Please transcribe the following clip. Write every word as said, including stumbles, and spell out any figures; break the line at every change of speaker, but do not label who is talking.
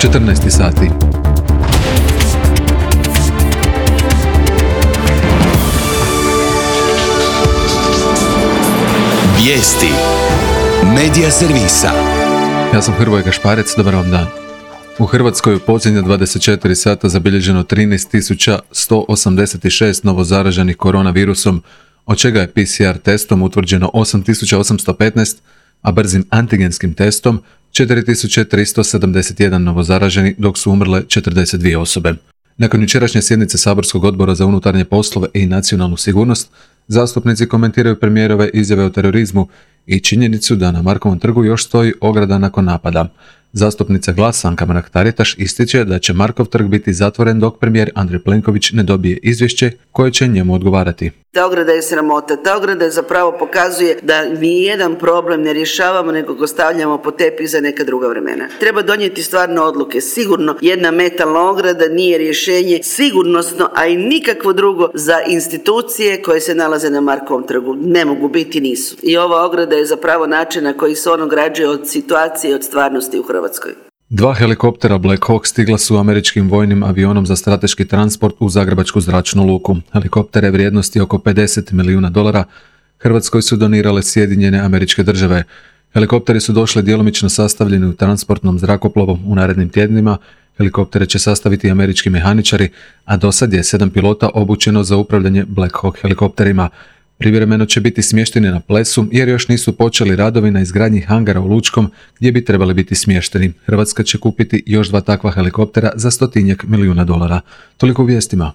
četrnaest sati.
Vijesti Medija servisa.
Ja sam Hrvoje Gašparec, dobar vam dan. U Hrvatskoj u posljednja dvadeset četiri sata zabilježeno trinaest tisuća sto osamdeset šest novozaraženih koronavirusom, od čega je P C R testom utvrđeno osam tisuća osamsto petnaest, a brzim antigenskim testom četiri tisuće tristo sedamdeset jedan novozaraženi, dok su umrle četrdeset dvije osobe. Nakon jučerašnje sjednice Saborskog odbora za unutarnje poslove i nacionalnu sigurnost, zastupnici komentiraju premijerove izjave o terorizmu i činjenicu da na Markovom trgu još stoji ograda nakon napada. Zastupnica GLAS Anka Mrak-Taritaš ističe da će Markov trg biti zatvoren dok premijer Andrej Plenković ne dobije izvješće koje će njemu odgovarati.
Ta ograda je sramota, ta ograda zapravo pokazuje da mi jedan problem ne rješavamo nego ga stavljamo pod tepih za neka druga vremena. Treba donijeti stvarno odluke. Sigurno jedna metalna ograda nije rješenje sigurnosno, a i nikakvo drugo za institucije koje se nalaze na Markovom trgu. Ne mogu biti, nisu. I ova ograda je zapravo način na koji se on ograđuje od situacije i od stvarnosti u Hrvatskoj.
Dva helikoptera Black Hawk stigla su američkim vojnim avionom za strateški transport u Zagrebačku zračnu luku. Helikoptere vrijednosti oko pedeset milijuna dolara Hrvatskoj su donirale Sjedinjene Američke Države. Helikopteri su došli djelomično sastavljeni u transportnom zrakoplovu. U narednim tjednima helikoptere će sastaviti američki mehaničari, a dosad je sedam pilota obučeno za upravljanje Black Hawk helikopterima. Privremeno će biti smješteni na Plesu jer još nisu počeli radovi na izgradnji hangara u Lučkom gdje bi trebali biti smješteni. Hrvatska će kupiti još dva takva helikoptera za stotinjak milijuna dolara. Toliko u vijestima.